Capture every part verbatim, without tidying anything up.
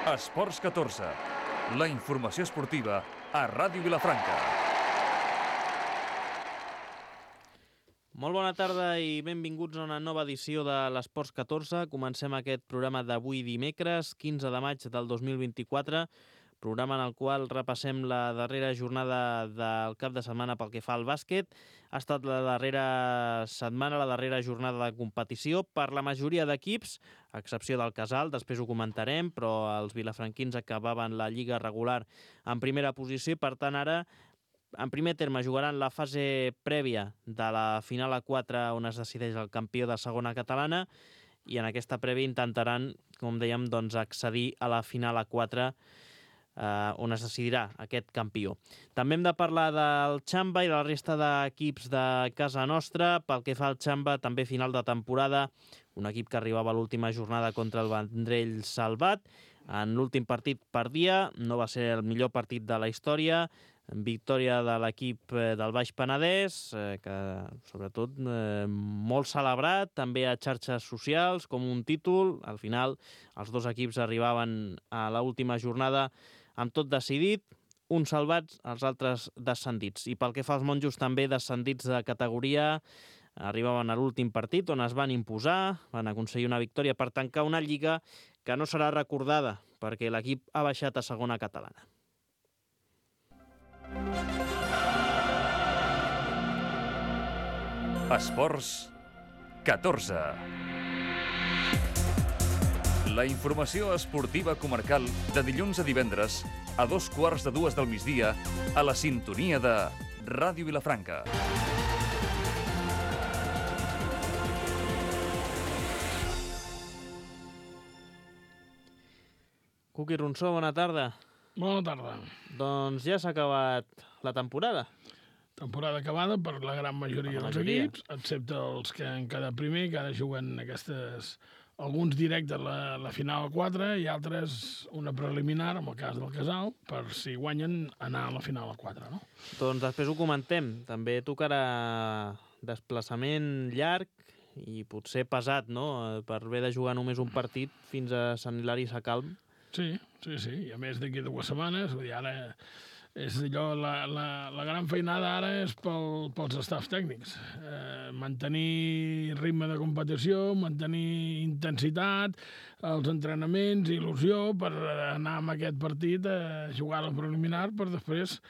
Esports catorze, la informació esportiva a Ràdio Vilafranca. Molt bona tarda i benvinguts a una nova edició de l'Esports catorze. Comencem aquest programa d'avui dimecres, quinze de maig del dos mil vint-i-quatre, programa en el qual repassem la darrera jornada del cap de setmana pel que fa al bàsquet. Ha estat la darrera setmana, la darrera jornada de competició per la majoria d'equips, a excepció del Casal, després ho comentarem, però els vilafranquins acabaven la lliga regular en primera posició i, per tant, ara en primer terme jugaran la fase prèvia de la final a quatre on es decideix el campió de segona catalana i en aquesta prèvia intentaran, com dèiem, doncs, accedir a la final a quatre eh, on es decidirà aquest campió. També hem de parlar del Xamba i de la resta d'equips de casa nostra. Pel que fa al Xamba, també final de temporada, un equip que arribava a l'última jornada contra el Vendrell salvat. En l'últim partit perdia, no va ser el millor partit de la història, victòria de l'equip del Baix Penedès, eh, que sobretot eh, molt celebrat, també a xarxes socials, com un títol. Al final, els dos equips arribaven a l'última jornada amb tot decidit, uns salvats, els altres descendits. I pel que fa als monjos, també descendits de categoria, arribaven a l'últim partit on es van imposar, van aconseguir una victòria per tancar una lliga que no serà recordada perquè l'equip ha baixat a segona catalana. Esports catorze. La informació esportiva comarcal de dilluns a divendres a dos quarts de dues del migdia a la sintonia de Ràdio Vilafranca. Cuqui Ronsó, bona tarda. Bona tarda. Doncs ja s'ha acabat la temporada. Temporada acabada per la gran majoria la dels majoria. equips, excepte els que han quedat primer, que ara juguen aquestes, alguns directes la, la final a quatre i altres una preliminar, en el cas del Casal, per si guanyen anar a la final a quatre, no? Doncs després ho comentem. També tocarà desplaçament llarg i potser pesat, no?, per haver de jugar només un partit fins a Sant Hilari Sacalm. Sí, sí, sí, i a més d'aquí dues setmanes, vull dir, ara és allò, la, la, la gran feinada ara és pel, pels staffs tècnics. Eh, mantenir ritme de competició, mantenir intensitat, els entrenaments, il·lusió, per anar amb aquest partit a jugar a la preliminar per després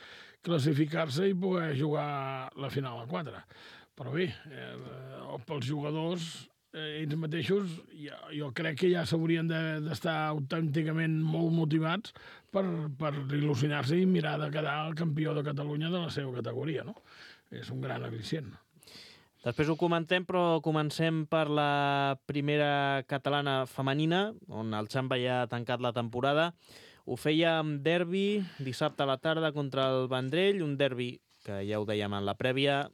classificar-se i poder jugar la final a quatre. Però bé, eh, pels jugadors, Eh, ells mateixos, jo, jo crec que ja s'haurien d'estar de, autènticament molt motivats per, per il·lusionar-se i mirar de quedar el campió de Catalunya de la seva categoria, no? És un gran al·licient. Després ho comentem, però comencem per la primera catalana femenina, on el Xamba ja ha tancat la temporada. Ho feia amb derbi dissabte a la tarda contra el Vendrell, un derbi que ja ho dèiem en la prèvia,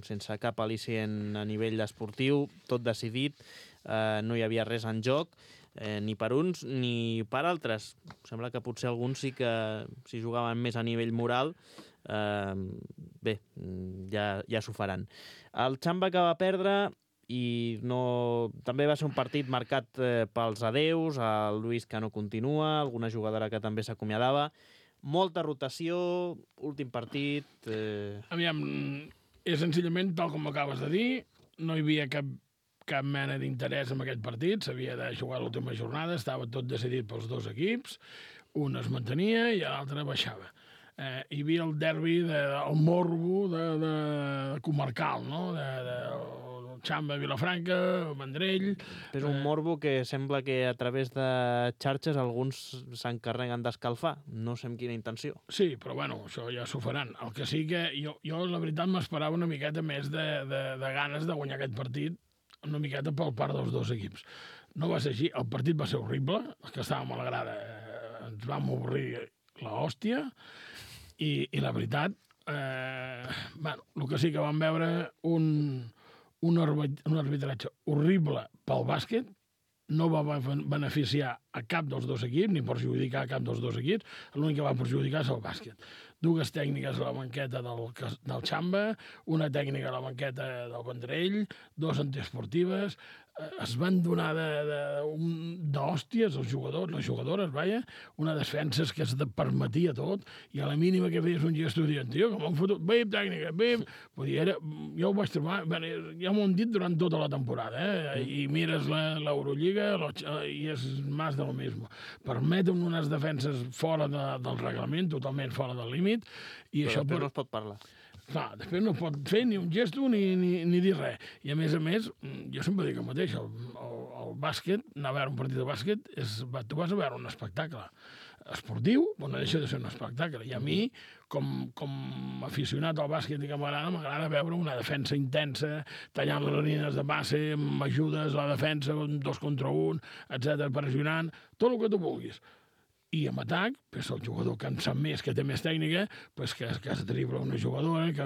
sense cap al·licient a nivell esportiu, tot decidit, eh, no hi havia res en joc, eh, ni per uns ni per altres. Sembla que potser alguns sí que si jugaven més a nivell moral, eh, bé, ja, ja s'ho faran. El Xamba que va perdre i no... també va ser un partit marcat eh, pels adeus, el Lluís que no continua, alguna jugadora que també s'acomiadava. Molta rotació, últim partit... Eh... Aviam, és senzillament, tal com acabes de dir, no hi havia cap, cap mena d'interès en aquest partit, s'havia de jugar l'última jornada, estava tot decidit pels dos equips, un es mantenia i l'altre baixava. Eh, hi havia el derbi, de, el morbo de, de, de comarcal, no?, de, de Xamba, Vilafranca, Vendrell... És un morbo que sembla que a través de xarxes alguns s'encarreguen d'escalfar. No sé amb quina intenció. Sí, però bueno, això ja s'ho faran. El que sí que jo, jo la veritat, m'esperava una miqueta més de, de, de ganes de guanyar aquest partit, una miqueta pel part dels dos equips. No va ser així. El partit va ser horrible. Els que estàvem a la grada eh, ens vam obrir l'hòstia i, i la veritat, eh, bueno, el que sí que vam veure un... Un, un arbitratge horrible pel bàsquet, no va beneficiar a cap dels dos equips, ni perjudicar a cap dels dos equips, l'únic que va perjudicar és el bàsquet. Dues tècniques a la banqueta del, del Xamba, una tècnica a la banqueta del Vendrell, dos antiesportives, es van donar d'hòsties els jugadors, les jugadores, vaja, una defensa que es permetia tot, i a la mínima que feies un gesto dient, tio, que m'han fotut, bé, tècnica, bé... Vull dir, era, jo ho vaig trobar, bé, ja m'ho han dit durant tota la temporada, eh? I mires l'Eurolliga i és més del mismo. Permeten unes defenses fora de, del reglament, totalment fora del límit, i però això... després no es pot parlar. Clar, després no pot fer ni un gesto ni, ni, ni dir res. I a més a més, jo sempre dic el mateix, el, el, el bàsquet, anar a veure un partit de bàsquet, és, tu vas a veure un espectacle esportiu, però no deixa de ser un espectacle. I a mi, com, com aficionat al bàsquet i que m'agrada, m'agrada veure una defensa intensa, tallant les línies de base, amb ajudes a la defensa, un dos contra un, etcètera, pressionant, tot el que tu vulguis. I en atac, pues, el jugador que en sap més, que té més tècnica, pues, que, que es dribla una jugadora, que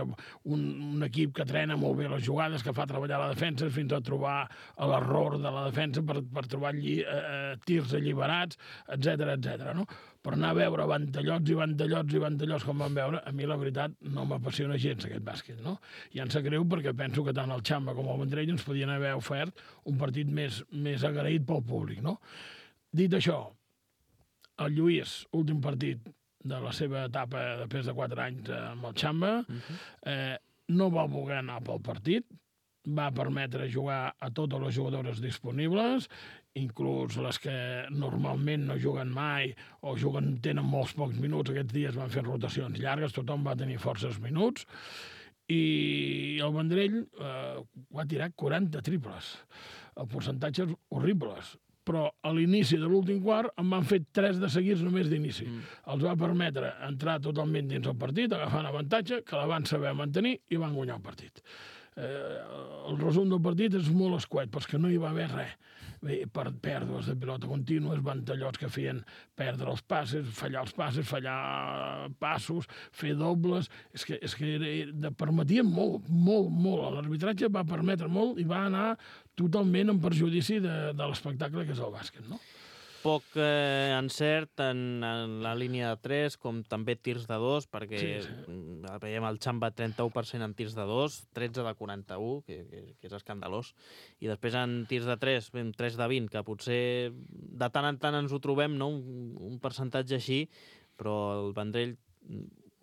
un, un equip que trena molt bé les jugades, que fa treballar la defensa fins a trobar l'error de la defensa per, per trobar lli, eh, tirs alliberats, etcètera, etcètera, no? Per anar a veure ventallots i ventallots i ventallots com vam veure, a mi la veritat no m'apassiona gens aquest bàsquet, no? I em sap greu perquè penso que tant el Xamba com el Vendrell ens podien haver ofert un partit més, més agraït pel públic, no? Dit això, el Lluís, últim partit de la seva etapa després de quatre anys amb el Xamba, uh-huh. eh, no va voler anar pel partit, va permetre jugar a totes les jugadores disponibles, inclús les que normalment no juguen mai o juguen, tenen molts pocs minuts. Aquests dies van fer rotacions llargues, tothom va tenir forces minuts, i el Vendrell eh, va tirar quaranta triples, el percentatges horribles, però a l'inici de l'últim quart en van fer tres de seguits només d'inici. Mm. Els va permetre entrar totalment dins el partit, agafant avantatge, que la van saber mantenir i van guanyar el partit. Eh, el resum del partit és molt escuet, però és que no hi va haver res. Bé, per pèrdues de pilota contínues, ventallots que feien perdre els passes, fallar els passes, fallar passos, fer dobles... És que, és que era, permetien molt, molt, molt. L'arbitratge va permetre molt i va anar totalment en perjudici de, de l'espectacle que és el bàsquet, no? Poc eh, encert en, en la línia de tres, com també tirs de dos, perquè sí, sí. veiem el Xamba trenta-u per cent en tirs de dos, tretze de quaranta-u, que, que, que és escandalós, i després en tirs de tres, tres de vint, que potser de tant en tant ens ho trobem, no? un, un percentatge així, però el Vendrell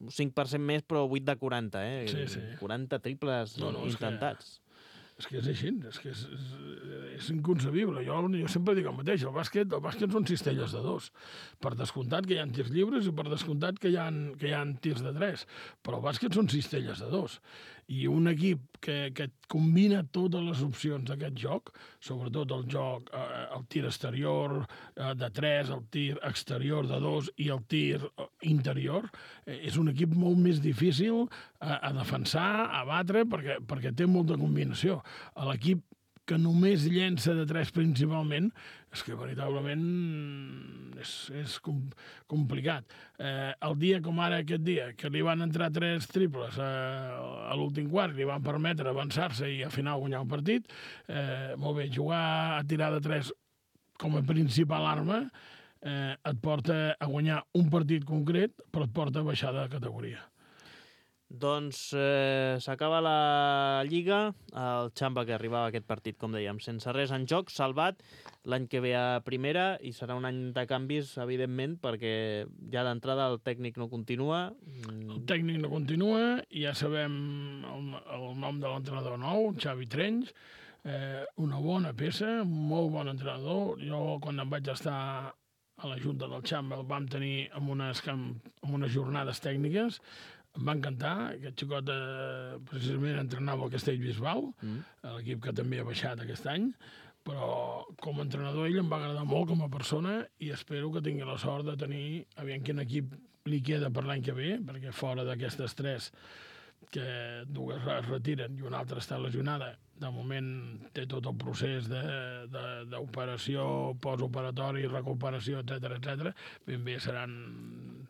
cinc per cent més, però vuit de quaranta, eh? Sí, sí. quaranta triples no, no, intentats. És que... És que és així, és que és, és, és inconcebible. Jo, jo sempre dic el mateix, el bàsquet, el bàsquet són cistelles de dos. Per descomptat que hi ha tirs lliures i per descomptat que hi ha, que hi ha tirs de tres. Però el bàsquet són cistelles de dos. I un equip que, que combina totes les opcions d'aquest joc, sobretot el joc, eh, el tir exterior eh, de tres, el tir exterior de dos i el tir interior, eh, és un equip molt més difícil a, a defensar, a batre, perquè, perquè té molta combinació. A l'equip que només llença de tres principalment, és que veritablement és, és com, complicat. Eh, el dia com ara aquest dia, que li van entrar tres triples eh, a l'últim quart, li van permetre avançar-se i al final guanyar el partit, eh, molt bé, jugar a tirar de tres com a principal arma eh, et porta a guanyar un partit concret, però et porta a baixar de categoria. Doncs eh, s'acaba la Lliga, el Xamba que arribava a aquest partit, com dèiem, sense res en joc, salvat l'any que ve a primera, i serà un any de canvis, evidentment, perquè ja d'entrada el tècnic no continua. El tècnic no continua, i ja sabem el, el nom de l'entrenador nou, Xavi Trenys, eh, una bona peça, molt bon entrenador. Jo, quan em vaig estar a la Junta del Xamba, el vam tenir amb unes, amb unes jornades tècniques. Em va encantar. Aquest xicot eh, precisament entrenava el Castellbisbal, mm. l'equip que també ha baixat aquest any, però com a entrenador ell em va agradar molt com a persona, i espero que tingui la sort de tenir, aviam quin equip li queda per l'any que ve, perquè fora d'aquestes tres, que dues es retiren i una altra està lesionada, de moment té tot el procés d'operació, postoperatori, recuperació, etcètera, etcètera. Ben bé seran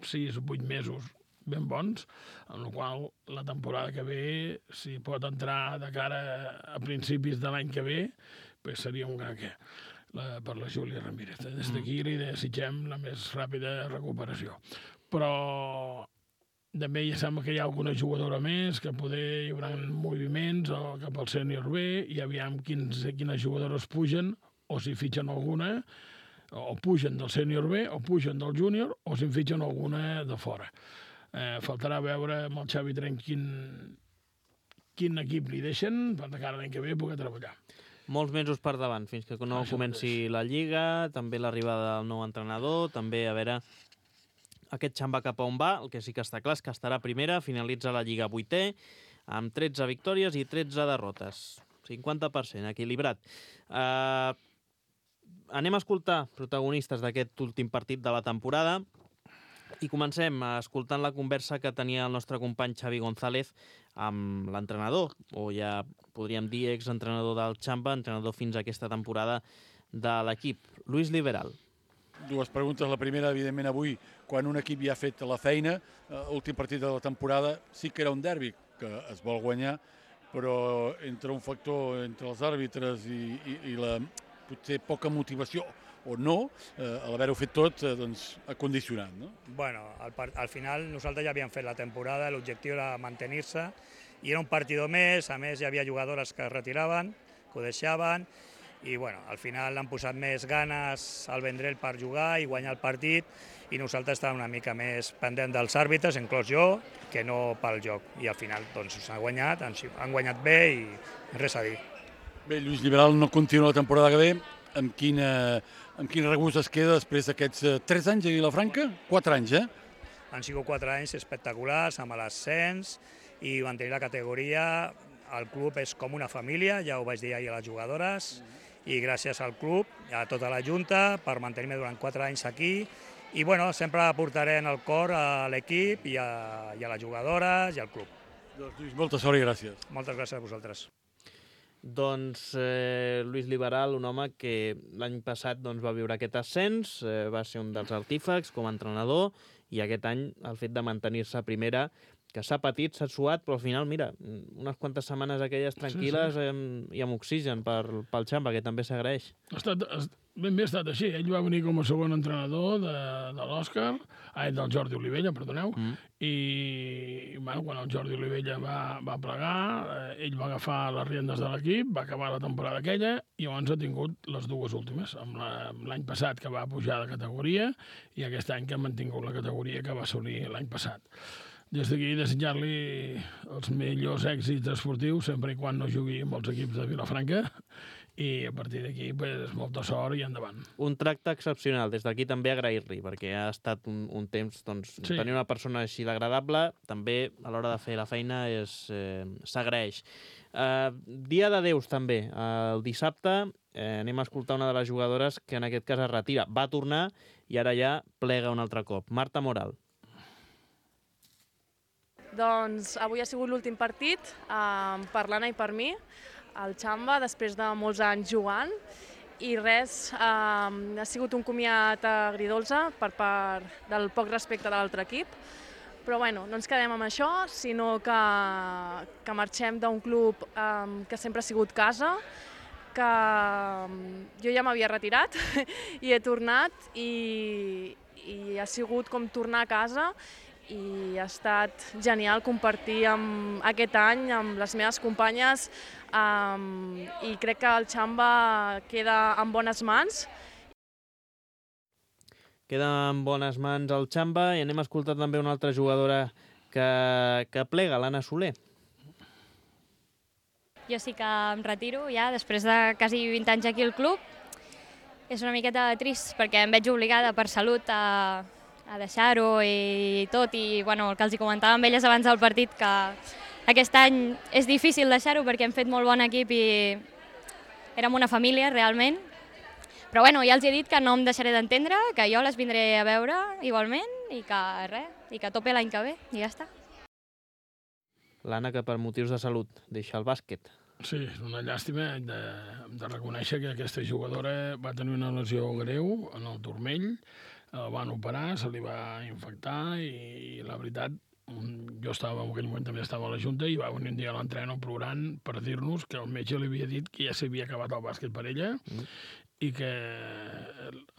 sis o vuit mesos ben bons, amb la qual la temporada que ve, si pot entrar de cara a principis de l'any que ve, pues seria un gran què la, per la Júlia Ramírez. Des d'aquí li desitgem la més ràpida recuperació. Però també ja sembla que hi ha alguna jugadora més, que poder hi haurà moviments o cap al sènior B, i aviam quins, quines jugadores pugen, o si fitxen alguna, o pugen del sènior B, o pugen del júnior, o si en fitxen alguna de fora. Eh, faltarà veure amb el Xavi Trenc quin, quin equip li deixen per de cara l'any que ve poder treballar. Molts mesos per davant, fins que no Això comenci mateix. la Lliga, també l'arribada del nou entrenador, també a veure aquest Xamba cap a on va. El que sí que està clar és que estarà primera, finalitza la Lliga vuitè, amb tretze victòries i tretze derrotes. cinquanta per cent, equilibrat. Uh, anem a escoltar protagonistes d'aquest últim partit de la temporada. I comencem escoltant la conversa que tenia el nostre company Xavi González amb l'entrenador, o ja podríem dir exentrenador del Xamba, entrenador fins a aquesta temporada de l'equip, Luis Liberal. Dues preguntes. La primera, evidentment, avui, quan un equip ja ha fet la feina, l'últim partit de la temporada sí que era un derbi, que es vol guanyar, però entre un factor, entre els àrbitres i, i, i la potser poca motivació, o no, eh, a l'haver-ho fet tot, eh, doncs, ha condicionat, no? Bueno, al, al final nosaltres ja havíem fet la temporada, l'objectiu era mantenir-se, i era un partidor més, a més hi havia jugadores que es retiraven, que ho deixaven, i bueno, al final han posat més ganes al Vendrell per jugar i guanyar el partit, i nosaltres estàvem una mica més pendent dels àrbitres, inclòs jo, que no pel joc. I al final doncs s'ha guanyat, han, han guanyat bé i res a dir. Bé, Lluís Liberal no continua la temporada que ve. Amb quina, amb quin regust es queda després d'aquests eh, tres anys a Vilafranca? Quatre anys, eh? Han sigut quatre anys espectaculars, amb l'ascens i mantenir la categoria. El club és com una família, ja ho vaig dir ahir a les jugadores, i gràcies al club, a tota la Junta, per mantenir-me durant quatre anys aquí. I bueno, sempre aportaré en el cor a l'equip i, a, i a les jugadores i al club. Doncs, Lluís, molta sort i gràcies. Moltes gràcies a vosaltres. Doncs eh, Luis Liberal, un home que l'any passat doncs, va viure aquest ascens, eh, va ser un dels artífecs com a entrenador, i aquest any el fet de mantenir-se a primera, que s'ha patit, s'ha suat, però al final, mira, unes quantes setmanes aquelles tranquil·les sí, sí. Amb, i amb oxigen per, pel Xamba, que també s'agraeix. Ha estat, ben bé ha estat així. Ell va venir com a segon entrenador de, de l'Òscar, ah, del Jordi Olivella, perdoneu, mm. i bueno, quan el Jordi Olivella va, va plegar, eh, ell va agafar les riendes de l'equip, va acabar la temporada aquella, i llavors ha tingut les dues últimes, amb l'any passat que va pujar de categoria, i aquest any que ha mantingut la categoria que va assolir l'any passat. Des d'aquí desitjar-li els millors èxits esportius, sempre i quan no jugui amb els equips de Vilafranca, i a partir d'aquí pues, molta sort i endavant. Un tracte excepcional, des d'aquí també agrair-li, perquè ha estat un, un temps, doncs, sí. Tenir una persona així d'agradable, també a l'hora de fer la feina eh, s'agraeix. Eh, dia de Déus també, el dissabte eh, anem a escoltar una de les jugadores que en aquest cas es retira, va tornar i ara ja plega un altre cop, Marta Moral. Doncs avui ha sigut l'últim partit eh, per l'Anna i per mi, al Xamba, després de molts anys jugant, i res, eh, ha sigut un comiat agridolce per part del poc respecte de l'altre equip, però bueno, no ens quedem amb això, sinó que, que marxem d'un club eh, que sempre ha sigut casa, que jo ja m'havia retirat i he tornat, i, i ha sigut com tornar a casa, i ha estat genial compartir amb aquest any amb les meves companyes, um, i crec que el Xamba queda en bones mans. Queda en bones mans el Xamba, i anem a escoltar també una altra jugadora que, que plega, l'Anna Soler. Jo sí que em retiro ja, després de quasi vint anys aquí al club. És una miqueta trist perquè em veig obligada per salut a a deixar-ho i tot, i bueno, el que els hi comentava amb elles abans del partit, que aquest any és difícil deixar-ho perquè hem fet molt bon equip i érem una família realment, però bueno, ja els he dit que no em deixaré d'entendre, que jo les vindré a veure igualment i que res, i que a tope l'any que ve i ja està. L'Anna, que per motius de salut deixa el bàsquet. Sí, és una llàstima de, de reconèixer que aquesta jugadora va tenir una lesió greu en el turmell, el van operar, se li va infectar i, i la veritat, jo estava, en aquell moment també estava a la Junta, i va venir un dia a l'entreno plorant per dir-nos que el metge li havia dit que ja s'havia acabat el bàsquet per ella, mm. i que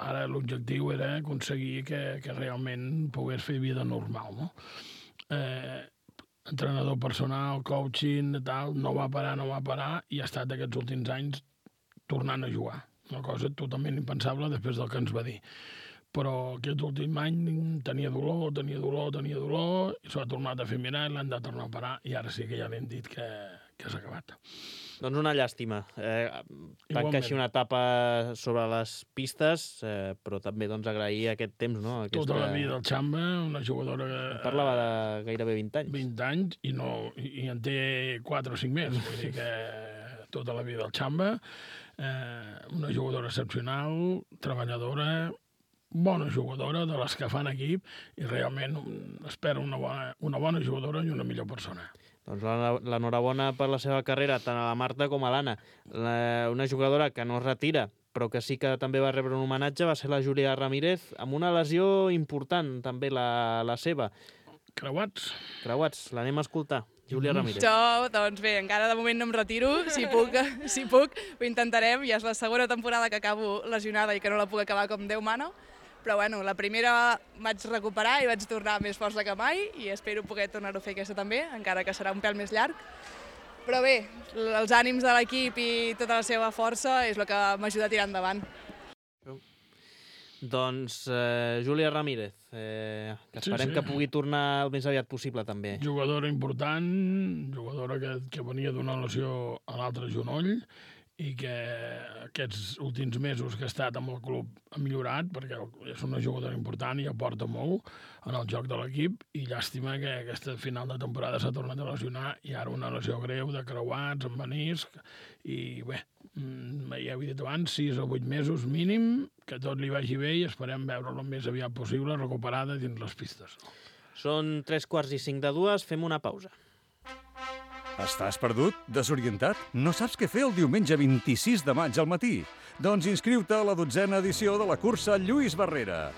ara l'objectiu era aconseguir que, que realment pogués fer vida normal, no? eh, entrenador personal, coaching, tal, no va parar, no va parar, i ha estat aquests últims anys tornant a jugar. Una cosa totalment impensable després del que ens va dir. Però aquest últim any tenia dolor, tenia dolor, tenia dolor, i s'ho ha tornat a fer mirar i l'han de tornar a parar, i ara sí que ja li hem dit que, que s'ha acabat. Doncs una llàstima. Eh, tanca així una etapa sobre les pistes, eh, però també doncs, agrair aquest temps. No? Aquesta... Tota la vida del Xamba, una jugadora... Em parlava de gairebé vint anys. vint anys, i, no, i en té quatre o cinc més. Vull dir que tota la vida del Xamba, eh, una jugadora excepcional, treballadora, bona jugadora, de les que fan equip, i realment espero una bona, una bona jugadora i una millor persona. Doncs l'enhorabona per la seva carrera, tant a la Marta com a l'Anna. Una jugadora que no es retira, però que sí que també va rebre un homenatge, va ser la Júlia Ramírez, amb una lesió important, també la, la seva. Creuats. Creuats, l'anem a escoltar. Júlia Ramírez. Jo, doncs bé, encara de moment no em retiro, si puc, si puc, ho intentarem, ja és la segona temporada que acabo lesionada i que no la puc acabar com Déu mana, però bueno, la primera vaig recuperar i vaig tornar més força que mai i espero poder tornar-ho a fer aquesta també, encara que serà un pèl més llarg. Però bé, els ànims de l'equip i tota la seva força és el que m'ajuda a tirar endavant. Doncs eh, Júlia Ramírez, eh, que esperem sí, sí. que pugui tornar el més aviat possible també. Jugadora important, jugadora que, que venia d'una lesió a l'altre genoll i que aquests últims mesos que ha estat amb el club ha millorat, perquè és una jugadora important i aporta molt en el joc de l'equip, i llàstima que aquesta final de temporada s'ha tornat a lesionar, i ara una lesió greu de creuats, amb menisc, i bé, ja ho he dit abans, sis o vuit mesos mínim, que tot li vagi bé i esperem veure-la el més aviat possible recuperada dins les pistes. Són tres quarts i cinc de dues, fem una pausa. Estàs perdut? Desorientat? No saps què fer el diumenge vint-i-sis de maig al matí? Doncs inscriu-te a la dotzena edició de la cursa Lluís Barrera.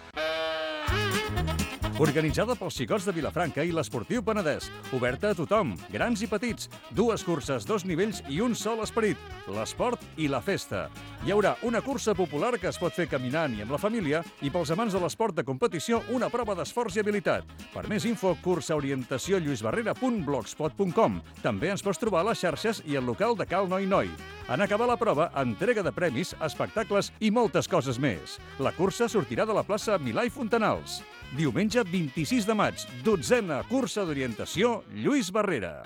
Organitzada pels Xicots de Vilafranca i l'Esportiu Penedès. Oberta a tothom, grans i petits. Dues curses, dos nivells i un sol esperit. L'esport i la festa. Hi haurà una cursa popular que es pot fer caminant i amb la família, i pels amants de l'esport de competició una prova d'esforç i habilitat. Per més info, cursaorientació lluisbarrera punt blogspot punt com. També ens pots trobar a les xarxes i al local de Cal Noi Noi. En acabar la prova, entrega de premis, espectacles i moltes coses més. La cursa sortirà de la plaça Milà i Fontanals. Diumenge vint-i-sis de maig, dotzena cursa d'orientació Lluís Barrera.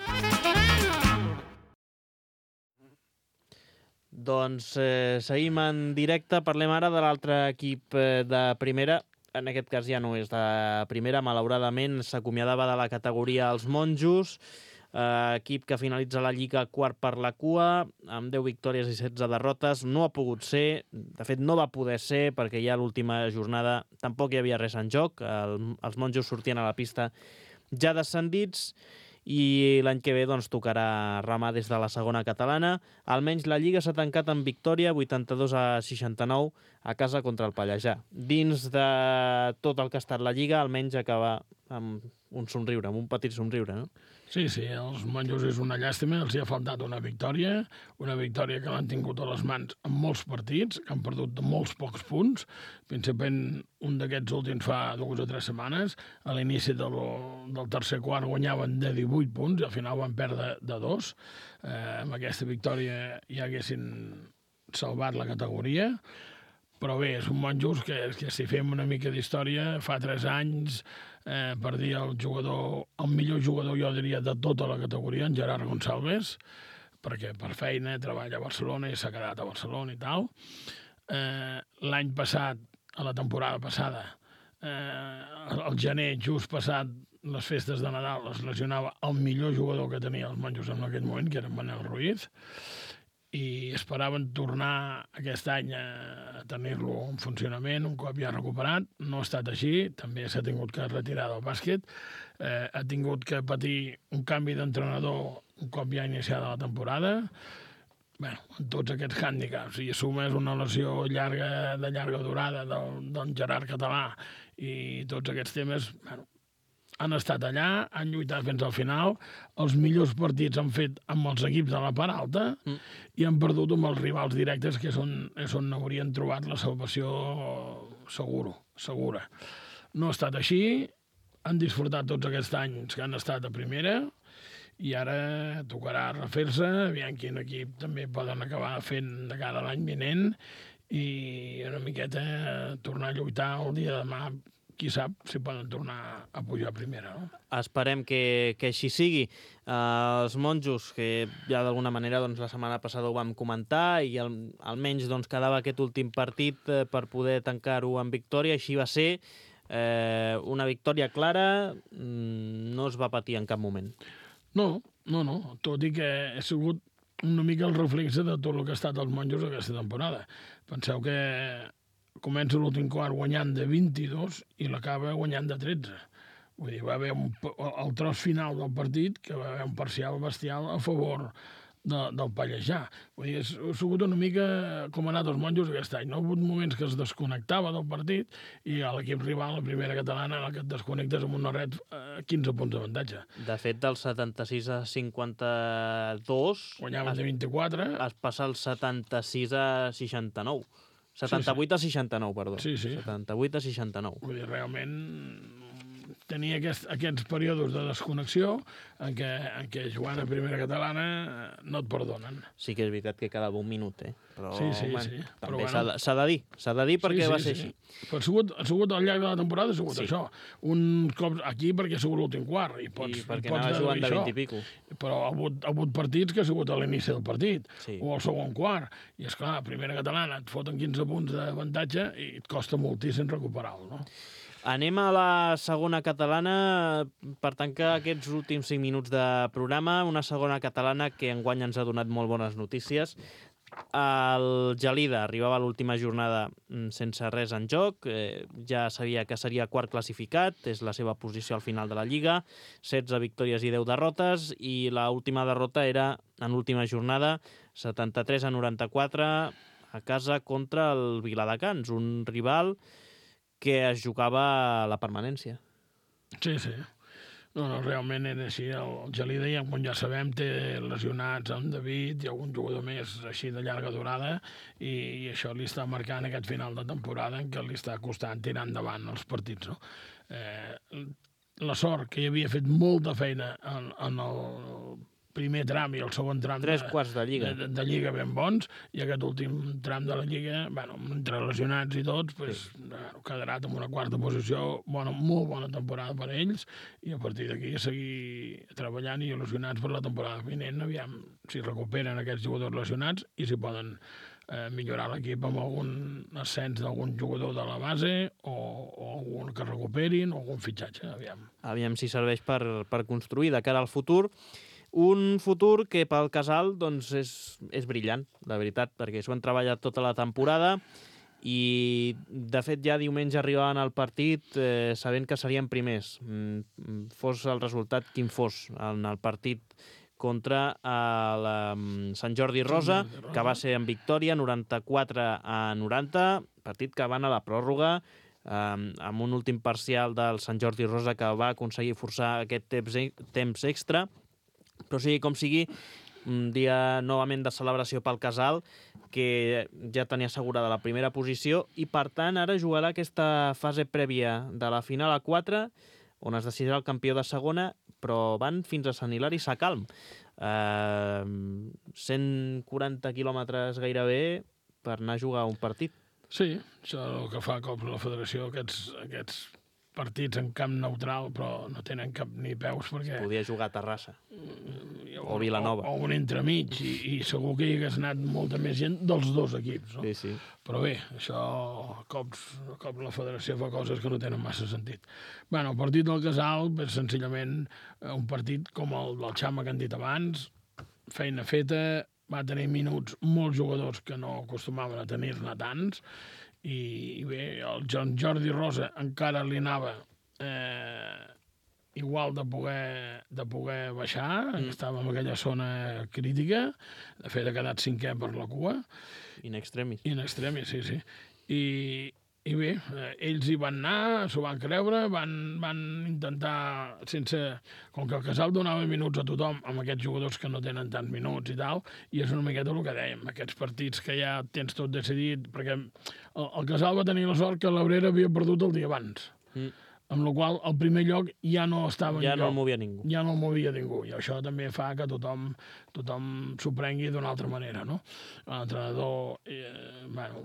Doncs eh, seguim en directe, parlem ara de l'altre equip eh, de primera. En aquest cas ja no és de primera, malauradament s'acomiadava de la categoria els Monjos, eh, equip que finalitza la Lliga quart per la cua, amb deu victòries i setze derrotes. No ha pogut ser, de fet no va poder ser, perquè ja a l'última jornada tampoc hi havia res en joc. El, els Monjos sortien a la pista ja descendits, i l'any que ve doncs, tocarà remar des de la segona catalana. Almenys la Lliga s'ha tancat amb victòria, vuitanta-dos a seixanta-nou, a casa contra el Pallejà. Dins de tot el que ha estat la Lliga, almenys acaba amb un somriure, amb un petit somriure, no? Sí, sí, els Monjos és una llàstima, els hi ha faltat una victòria, una victòria que l'han tingut a les mans en molts partits, que han perdut de molts pocs punts, principalment un d'aquests últims fa dues o tres setmanes, a l'inici del, del tercer quart guanyaven de divuit punts i al final van perdre de dos. Eh, amb aquesta victòria ja haguessin salvat la categoria, però bé, és un Monjos que, que si fem una mica d'història, fa tres anys eh, perdia el jugador, el millor jugador, jo diria, de tota la categoria, en Gerard Gonçalves, perquè per feina treballa a Barcelona i s'ha quedat a Barcelona i tal. Eh, L'any passat, a la temporada passada, eh, al gener, just passat les festes de Nadal, es lesionava el millor jugador que tenia els Monjos en aquell moment, que era en Manel Ruiz, i esperaven tornar aquest any a tenir-lo en funcionament un cop ja recuperat. No ha estat així, també s'ha tingut que retirar del bàsquet, eh, ha tingut que patir un canvi d'entrenador un cop ja iniciada la temporada. Bé, amb tots aquests hàndicaps, i assumes una lesió llarga, de llarga durada del, del Gerard Català i tots aquests temes, bueno, han estat allà, han lluitat fins al final, els millors partits han fet amb els equips de la part alta mm. i han perdut amb els rivals directes, que és on, és on haurien trobat la salvació seguro, segura. No ha estat així, han disfrutat tots aquests anys que han estat a primera i ara tocarà refer-se, aviam quin equip també poden acabar fent de cara a l'any vinent i una miqueta tornar a lluitar el dia de demà, qui sap si poden tornar a pujar a primera, no? Esperem que, que així sigui. Uh, els monjos, que ja d'alguna manera doncs, la setmana passada ho vam comentar i al, almenys doncs, quedava aquest últim partit eh, per poder tancar-ho en victòria, així va ser. Eh, una victòria clara, mm, no es va patir en cap moment. No, no, no, tot i que ha sigut una mica el reflexe de tot el que ha estat els monjos aquesta temporada. Penseu que comença l'últim quart guanyant de vint-i-dos i l'acaba guanyant de tretze. Vull dir, va haver un, el tros final del partit que va haver un parcial bestial a favor de, del Pallejà. Vull dir, ha sigut una mica com ha anat els monjos aquest any. No ha hagut moments que es desconnectava del partit i a l'equip rival, la primera catalana, en el que et desconnectes amb una red a quinze punts d'avantatge. De fet, del setanta-sis a cinquanta-dos... Guanyaven de vint-i-quatre. Es passa al setanta-sis a seixanta-nou. setanta-vuit a seixanta-nou, perdó. Sí, sí. setanta-vuit a seixanta-nou. Vull dir, realment tenia aquest, aquests períodes de desconnexió en què, en què jugant a primera catalana no et perdonen. Sí que és veritat que quedava un minut, eh? Però, sí, sí, man, sí. També s'ha bueno. de, de dir, s'ha de dir perquè sí, sí, va ser sí. així. Però ha sigut, ha sigut al llarg de la temporada, ha sigut sí. això. Un cop aquí perquè ha sigut l'últim quart. I, pots, I perquè pots anava jugant de vint i pico. Però ha hagut, ha hagut partits que ha sigut a l'inici del partit, sí. o al segon quart. I esclar, a primera catalana et foten quinze punts d'avantatge i et costa moltíssim recuperar-lo, no? Anem a la segona catalana per tancar aquests últims cinc minuts de programa. Una segona catalana que enguany ens ha donat molt bones notícies. El Gelida arribava a l'última jornada sense res en joc. Eh, ja sabia que seria quart classificat. És la seva posició al final de la Lliga. setze victòries i deu derrotes. I l'última derrota era en l'última jornada, setanta-tres a noranta-quatre, a casa contra el Viladecans, un rival que es jugava la permanència. Sí, sí. No, no, realment era així. El Gelida, ja, com ja sabem, té lesionats en David i algun jugador més així de llarga durada i, i això li està marcant aquest final de temporada en què li està costant tirar endavant els partits, no? Eh, la sort que hi havia fet molta feina en, en el primer tram i el segon tram Tres quarts de Lliga. De, de Lliga ben bons, i aquest últim tram de la Lliga, bueno, entre lesionats i tots, pues, sí. bueno, quedarà en una quarta posició, bona, molt bona temporada per a ells, i a partir d'aquí seguir treballant i il·lusionats per la temporada vinent, aviam si recuperen aquests jugadors lesionats i si poden eh, millorar l'equip amb algun ascens d'algun jugador de la base o, o algun que recuperin o algun fitxatge, aviam. Aviam si serveix per, per construir de cara al futur. Un futur que pel Casal doncs, és, és brillant, la veritat, perquè s'ho han treballat tota la temporada i, de fet, ja diumenge arribaven al partit eh, sabent que serien primers. Mm, fos el resultat quin fos en el partit contra el um, Sant Jordi Rosa, que va ser en victòria, noranta-quatre a noranta, partit que van a la pròrroga, um, amb un últim parcial del Sant Jordi Rosa que va aconseguir forçar aquest temps, temps extra. Però sigui com sigui, un dia novament de celebració pel Casal, que ja tenia assegurada la primera posició i, per tant, ara jugarà aquesta fase prèvia de la final a quatre, on es decidirà el campió de segona, però van fins a Sant Hilari Sacalm. Eh, cent quaranta quilòmetres gairebé per anar a jugar un partit. Sí, això és el que fa cop la federació, aquests, aquests partits en camp neutral, però no tenen cap ni peus perquè... Es podia jugar a Terrassa o, o Vilanova. O, o un entremig, i, i segur que hi hagués anat molta més gent dels dos equips, no? Sí, sí. Però bé, això, cops, cop la federació fa coses que no tenen massa sentit. Bueno, el partit del Casal és senzillament un partit com el del Xama que han dit abans, feina feta, va tenir minuts molts jugadors que no acostumaven a tenir-ne tants, i bé, el Joan Jordi Rosa encara li anava eh, igual de poder, de poder baixar, mm. estava en aquella zona crítica, de fet ha quedat cinquè per la cua. In extremis. In extremis, sí, sí. I, i bé, eh, ells hi van anar, s'ho van creure, van, van intentar, sense... Com que el Casal donava minuts a tothom, amb aquests jugadors que no tenen tants minuts i tal, i és una miqueta el que dèiem, aquests partits que ja tens tot decidit, perquè el, el Casal va tenir la sort que l'Abrera havia perdut el dia abans. Mm. amb la qual el primer lloc ja no estava Ja en no lloc. el movia ningú. Ja no el movia ningú, i això també fa que tothom, tothom s'ho prengui d'una altra manera, no? L'entrenador eh, bueno,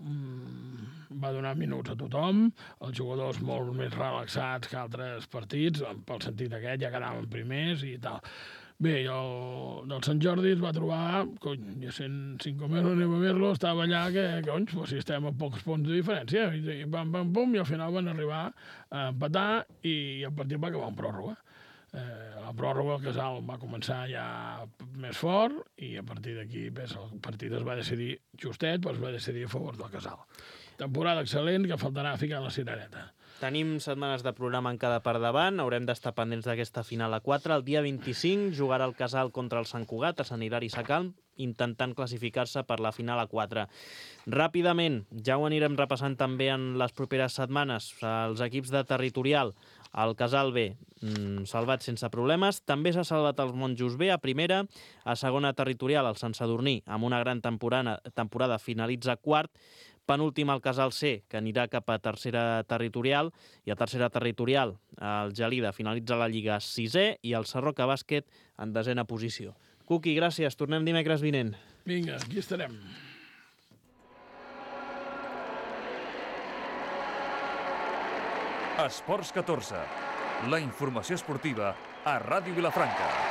va donar minuts a tothom, els jugadors molt més relaxats que altres partits, pel sentit aquest ja quedaven primers i tal. Bé, el del Sant Jordi es va trobar, cony, ja sent cinc mesos anem a veure-lo, estava allà que, cony, pues, si estem a pocs punts de diferència, i, i pam, pam, pum, i al final van arribar a empatar i el partit va acabar en pròrroga. Eh, la pròrroga el Casal va començar ja més fort i a partir d'aquí pues, el partit es va decidir justet, però es va decidir a favor del Casal. Temporada excel·lent que faltarà ficar la cirereta. Tenim setmanes de programa encara per davant, haurem d'estar pendents d'aquesta final a quatre. El dia vint-i-cinc jugarà el Casal contra el Sant Cugat a Sant Hilari Sacalm, intentant classificar-se per la final a quatre. Ràpidament, ja ho anirem repassant també en les properes setmanes, els equips de territorial. El Casal B, mmm, salvat sense problemes. També s'ha salvat els Monjos B a primera. A segona territorial, el Sant Sadurní, amb una gran temporada, temporada finalitza quart. Penúltim el Casal C, que anirà cap a tercera territorial, i a tercera territorial el Gelida finalitza la Lliga sisè i el Sarroca Bàsquet en desena posició. Cuqui, gràcies. Tornem dimecres vinent. Vinga, aquí estarem. Esports catorze. La informació esportiva a Ràdio Vilafranca.